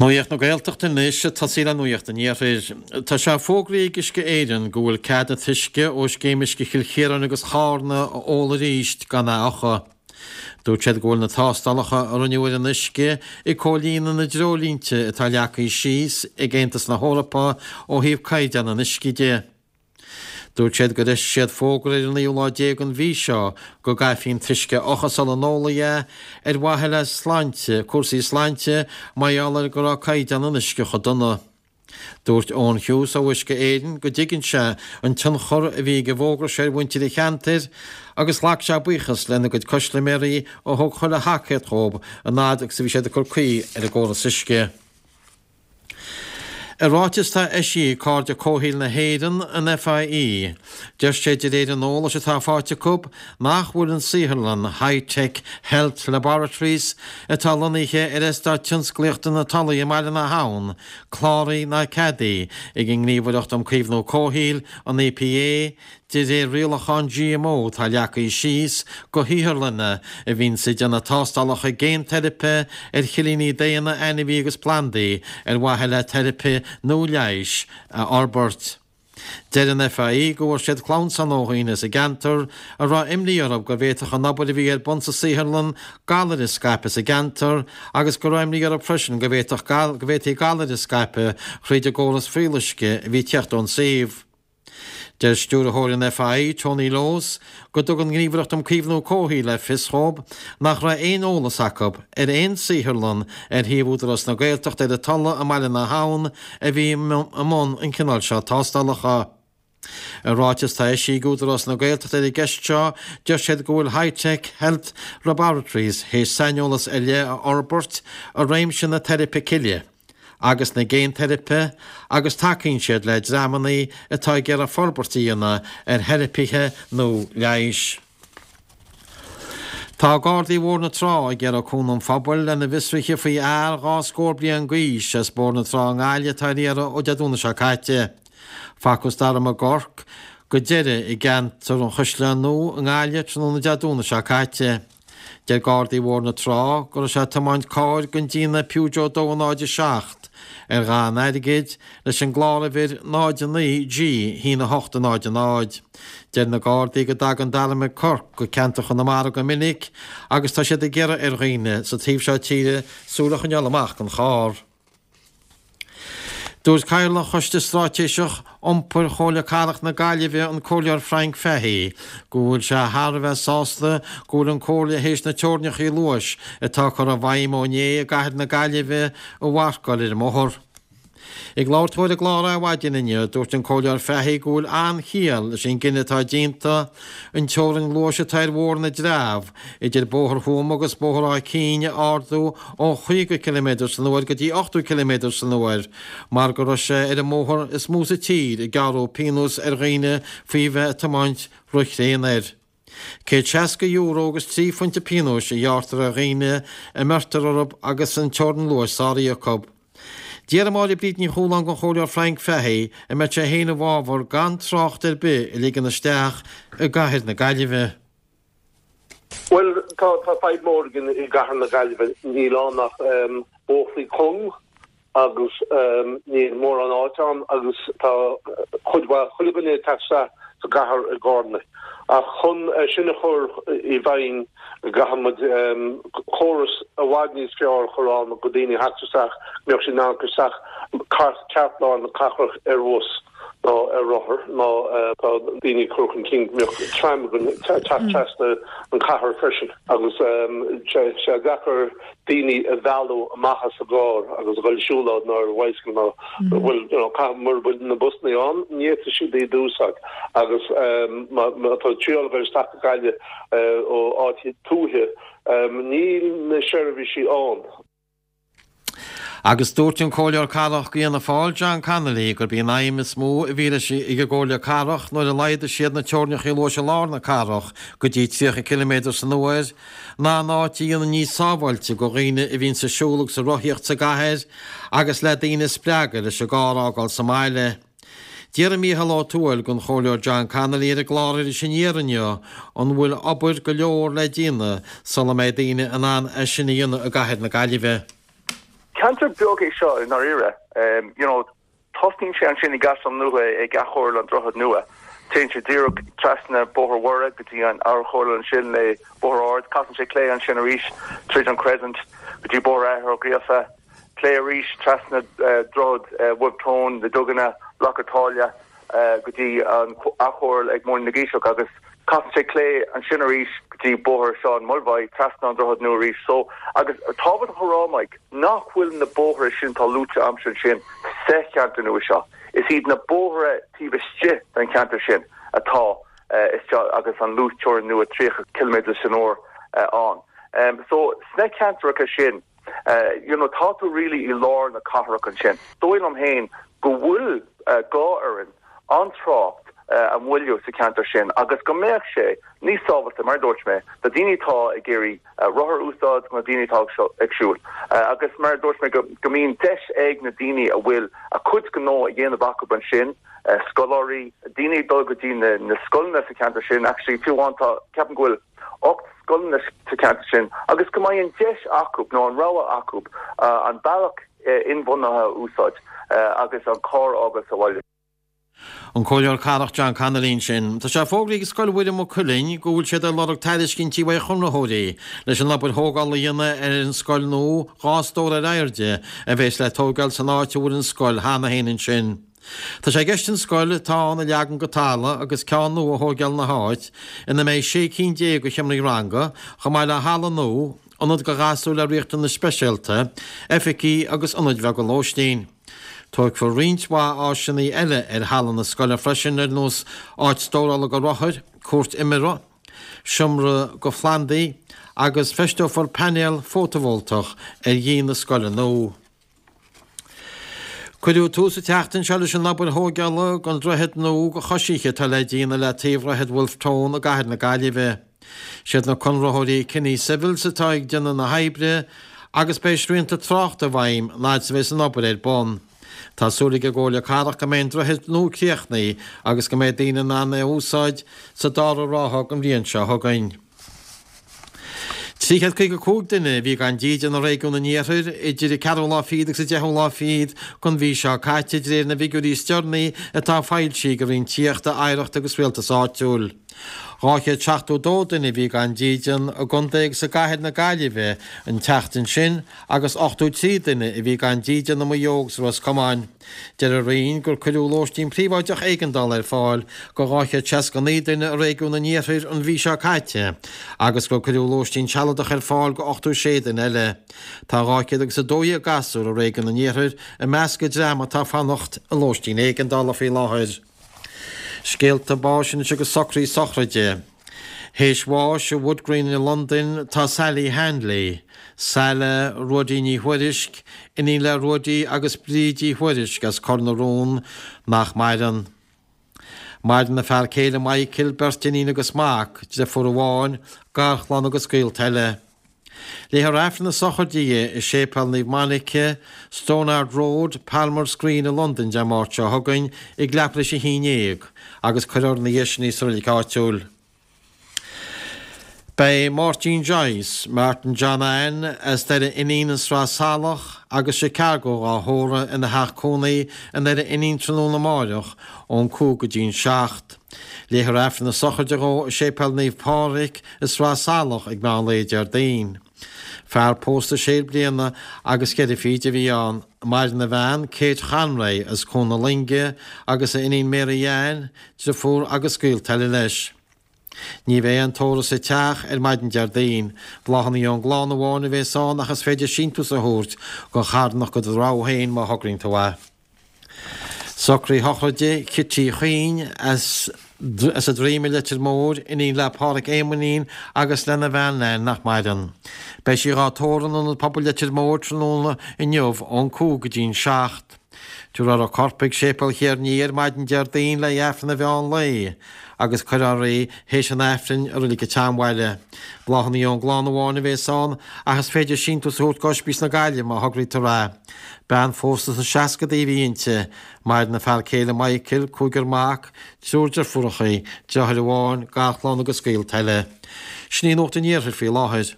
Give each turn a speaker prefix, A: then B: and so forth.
A: Nuacht na Gaeltachta anois, ag tosaí le Nuacht an Iarthair. Tá sé fógraithe ag Uisce Éireann go bhfuil cead an t-uisce ó Scéim Uisce Chill Chiaráin agus Chárna a ól arís gan é a fhiuchadh. Dúirt siad go bhfuil na tástálacha a rinneadh ar an uisce ag comhlíonadh na dtreoirlínte atá leagtha síos ag Aontas na hEorpa ó thaobh caighdeán an uisce de. Dúirt siad gur eisigh siad fógra ar an naoú lá déag den mhí seo go gcaithfí an t-uisce a fhiuchadh sula n-ólfaí é ar mhaithe le sláinte, cúrsaí sláinte mar gheall ar go raibh caighdeán an uisce chomh dona. Dúirt Eoin Hughes ó Uisce Éireann go dtuigeann sé an tionchar a bhí ag an bhfógra seo ar mhuintir an cheantair agus ghlac sé buíochas lena gcuid custaiméirí a thug chuile thacaíocht dhóibh an fhad agus a bhí siad ag cur caoi ar an gcóras uisce. I ráiteas atá eisithe ag Cairde Comhshaoil na hÉireann, an FIE, deir sé de réir an eolais atá faighte acu nach bhfuil an saotharlann Hi-Tech Health Laboratories atá lonnaithe ar Eastát Tionsclaíochta na Tulaí i mBaile na hAbhann cláraithe ná ceadaithe ag an nGníomhaireacht um Caomhnú Comhshaoil, an EPA, De réir rialachán GMO atá leagtha síos do shaotharlanna a bhíonns ag déanamh tástálacha géinteiripe ar chillíní daonna, ainmhí agus plandaí ar mhaithe le teiripe nó leighis a fhorbairt. Deir an FIE go bhfuair siad clamhsán ó dhaoine sa gceantar a raibh imní orthu go bhféadfadh an obair a bhí ar bun sa saotharlann galair a scaipeadh sa gceantar agus go raibh imní orthu freisin go bhféadfadh go bhféadfaí galair a scaipeadh thríd an gcóras fuíolluisce a bhí ag teacht ón suíomh. Deir Stiúrthóir an FIE, Tony Lowes, go dtug an Ghníomhaireacht um Caomhnú Comhshaoil le fios dhóibh nach raibh aon eolas acu ar aon saotharlann ar shuíomh Údarás na Gaeltachta ar an Tulaigh i mBaile na hAbhann a bhí i mbun an cineál seo tástálacha. I ráiteas atá eisithe ag Údarás na Gaeltachta ar an gceist seo, deir siad go bhfuil Hi-Tech Health Laboratories théis saineolas ar leith a fhorbairt i réimse na teiripe cille. agus na géinteiripe agus tacaíonn siad le dreamanna atá ag iarraidh forbairt a dhéanamh ar theiripithe nó leighis. Tá Gardaí Bhóthar na Trá ag iarraidh cúnamh an phobail lena bhfiosruithe faoi fhear 22 scór bliain d'aois as Bóthar na Trá i nGaillimh atá ar iarraidh ó Dé Domhnaigh seo caite. Facthas Dara McGurk go deireadh i gceantar an Chaisleáin Nua i nGaillimh tráthnóna Dé Domhnaigh seo caite. Deir Gardaí Bhóthar na Trá go raibh sé ag tiomáint cairr den déanamh Peugeot 207 ar dhath an airgid leis an gcláruimhir 09 G 1 8 0 0. Deir na Gardaí go dtagann Dara McGurk go ceantar Chonamara go minic agus tá siad ag iarraidh ar dhaoine sa taobh seo tíre súil a choinneáil amach don charr. Dúirt Cathaoirleach Choiste Straitéiseach Iompair Chomhairle Cathrach na Gaillimhe, an Comhairleoir Frank Fahey, go bhfuil sé thar a bheith sásta go bhfuil an Comhairle théis na teorainneacha luais atá curtha i bhfeidhm ó inné i gcathair na Gaillimhe a mharcáil ar an mbóthar. Ag labhairt dó ar an gclár Adhmhaidin inniu, dúirt an Comhairleoir Fahey go bhfuil an-chiall leis an gcinneadh atá déanta an teorainn luais atá ar Bhóthar na dTreabh idir Bóthar Thuama agus Bóthar Áth Cinn a ardú ó 50 ciliméadar san uair go dtí 80 ciliméadar san uair mar go raibh sé ar an mbóthar is mó sa tír ag gearradh pionós ar dhaoine faoi bheith ag tiomáint ro-thréan air. €160 agus 3 phointe pionóis a ghearrtar ar dhaoine a mbeirtear orthu agus an teorainn luais sáraithe acu. D'fhiafraigh Máire Bríd Ní Chualáin den Chomhairleoir Frank Fahey an mbeadh sé féin i bhfabhar gan trácht ar bith a ligean isteach i gcathair na Gaillimhe.
B: Bhuel, tá fadhb mhór againn i gcathair na Gaillimhe. Níl ann ach bóithre cúng agus níl mórán áit ann agus tá cuid mhaith, chuile dhuine ag teacht isteach sa gcathair i gcarranna. Ach chun é sin a chur i bhfeidhm caithfidh muid córas i bhfad níos fearr a chur ann go daoine a theacht isteach, go mbeadh siad in ann cur isteach ceartlár na cathrach ar bhus nó ar rothar nó tá daoine ag cur chun cinn go mbeadh tram againn ag teacht trasna an chathair freisin agus sé sé deacair daoine a mhealladh amach as a gcarr agus a dhul ag siúlóid nó ar bhicycle nó bhfuil you know caithfidh mura bhfuil na busanna ann ní fhéadfaidh siad iad a úsáid agus má tá triail a dhul isteach go Gaillimh ó áit tuaithe níl na seirbhísí ann.
A: Agus dúirt an Comhairleoir Cathrach d'Fhianna Fáil, John Connolly, gurb í an aidhm is mó a bhí leis ag an gComhairle Cathrach nuair a laghdaigh siad na teorainneacha luais i lár na cathrach go dtí 30 ciliméadar san uair ná an áit a dhéanamh níos sábháilte do dhaoine a bhíonns ag siúl agus ag rothaíocht sa gcathair agus le daoine a spreagadh leis an gcarr a fhágáil sa mbaile. D'fhiafraigh Mícheál Ó Tuathail den Chomhairleoir John Connolly ar an gclár Iris Aniar inniu an bhfuil obair go leor le déanamh sula mbeidh daoine in ann é sin a dhéanamh i gcathair na Gaillimhe.
C: ceantar beag é seo i ndáiríre. You know, tosnaíonn sé ansin i gCaisleán Nua ag acomhal an Droichead Nua. Téann sé díreach trasna Bóthar Mhuire go dtí an acomhal ansin le Bóthar Ard. Casann sé clé ansin arís tríd an Crescent go dtí Bóthar Athar Ó Gríofa. Clé arís trasna Droichead Wolfe Tone, na Duganna, Loch a' tSáile. go dtí an acomhal ag Móinín na gCiseach agus casann sé clé ansin arís go dtí Bóthar Seán Mulvagh, trasna an Droichead Nua arís. So, agus tábhachtach a rá, Mike, nach bhfuil na bóithre sin atá luaite a'msa ansin sa cheantar nua seo. Is iad na bóithre taobh istigh den cheantar sin atá isteach agus an luasteorainn nua 30 ciliméadar san uair ann. So, sna ceantracha sin, You know, tá tú really i lár na cathrach ansin. Dóigh liom féin go bhfuil gá orainn an trácht a mhoilliú sa cheantar sin agus go mbeadh sé níos sábháilte, mar a dúirt mé, do daoine atá ag iarraidh rothar a úsáid nó daoine atá ag siúl. Agus mar a dúirt mé, go mbíonn deis ag na daoine a bhfuil a cuid gnó a dhéanamh acu ansin, scoláirí, daoine ag dul go dtí na scoileanna sa cheantar sin, actually fiú amháin tá, ceapaim go bhfuil 8 scoileanna sa cheantar sin agus go mbeidh an deis acu nó an rogha acu an bealach inbhuanaithe a úsáid agus an carr a fhágáil sa bhaile.
A: An Comhairleoir Cathrach John Connolly ansin. Tá sé fógraithe ag Scoil Mhuire Maigh Cuilinn go bhfuil siad ag lorg tairiscintí uaidh chonraitheoirí leis an obair thógála a dhéanamh ar an scoil nua, 2 stór ar airde, a bheas le tógáil san áit a bhfuil an scoil cheana féin ansin. Tá sé i gceist an scoil atá ann a leagan go talamh agus ceann nua a thóigeáil ina háit, ina mbeidh 16 cinn de sheomraí ranga, chomh maith le halla nua, ionad do ghasúir le riachtanais speisialta, oifigí agus ionaid bheaga lóistín. Tógfar roinnt mhaith áiseanna eile ar thalamh na scoile freisin ar nós áit stórála do rothair, cúirt imeartha, seomra do phlandaí agus feisteofar painéal fótavoltach ar dhíon na scoile nua. Cuireadh tús an tseachtain seo leis an obair thóigeála don droichead nua do choisithe atá le déanamh le taobh Dhroichead Wolfe Tone i gcathair na Gaillimhe. Siad na conraitheoirí Kinney Civils atá ag déanamh na hoibre agus beidh srianta tráchta i bhfeidhm an fhad is a bheas an obair ar bun. Tá súil ag an gComhairle Cathrach go mbeidh an droichead nua críochnaithe agus go mbeidh daoine in ann é a úsáid sa dara ráithe den bhliain seo chugainn. 355 duine a bhí gan dídean i réigiún an Iarthair idir an ceathrú lá fichead agus an deichiú lá fichead den mhí seo caite, de réir na bhfigiúirí is deireanaí atá foilsithe ag an Roinn Tithíochta, Oidhreachta agus Rialtais Áitiúil. 272 duine a bhí gan dídean i gcontae agus i gcathair na Gaillimhe an tseachtain sin agus 83 duine a bhí gan dídean i Maigh Eo agus i Ros Comáin. Deir an Roinn gur cuireadh lóistín príobháideach éigeandála ar fáil do 269 duine i réigiún an Iarthair an mhí seo caite agus gur cuireadh lóistín sealadach ar fáil do 86 duine eile. Tá 212 gasúr i réigiún an Iarthair i measc an dream atá ag fanacht i lóistín éigeandála faoi láthair. Scéalta báis anois agus socruithe sochraide. Théis bháis i Wood Green i Londain tá Sally Hanley, Saile Ruaidí Ní Thuairisg, iníon le Ruaidí agus Bríd Uí Thuairisg as Cor na Rón, nach maireann. Maireann a fear céile Michael, beirt iníon agus mac, deirfiúr amháin, garchlann agus gaolta eile. Léifear Aifreann na sochraide di i Séipéal Naomh Monica, Stonard Road, Palmers Green i Londain Dé Máirt seo chugainn ag leathuair tar éis a haon dhéag agus cuirfear ina dhiaidh sin í sa reilig áitiúil. Beidh Máirtín Joyce, Martin John Ann, as Doire Fhínín, An Sraith Salach agus Chicago dhá thórramh ina theach cónaí i nDoire Fhínín tráthnóna amáireach ón 5 go dtí'n 7. Léifear Aifreann na sochraide dhó i Séipéal Naomh Pádraig i Sraith Salach ag meán lae Déardaoin. Fear pósta sé bliana agus cheithre fichid a bhí ann. Maireann a bhean, Kate Chonray, as Cuan na Loinge, agus a iníon Mary Ann, driofúr agus gaolta eile leis. Ní bheidh aon tórramh sa teach ar maidin Déardaoin. Bláthanna ón gclann amháin a bhéas ann ach is féidir síntiús a thabhairt don charthanacht de do rogha féin má thograíonn tú é. Socruithe sochraide Chití Chuinn as an Droim i Leitir Móir, iníon le Pádhraic Éamoinín agus lena bhean Nan nach maireann. Beidh sí dhá tórramh in Ionad Pobail Leitir Móir tráthnóna inniu ón 5 go dtí'n 7. Tabharfar a corp chuig Séipéal Chéir Nia ar maidin Déardaoin le Aifreann an mheán lae agus cuirfear í théis an Aifrinn i Reilig an tSeanbhaile. Bláthanna ón gclann amháin a bhéas ann ach is féidir síntiús a thabhairt go Ospís na Gaillimhe má thograítear é. Bean phósta sna seascadaí a bhí inti. Maireann a fear céile Michael, cúigear mac, triúr deirfiúrachaí, deartháir amháin, garchlann agus gaolta eile. Sin í Nuacht an Iarthair faoi láthair.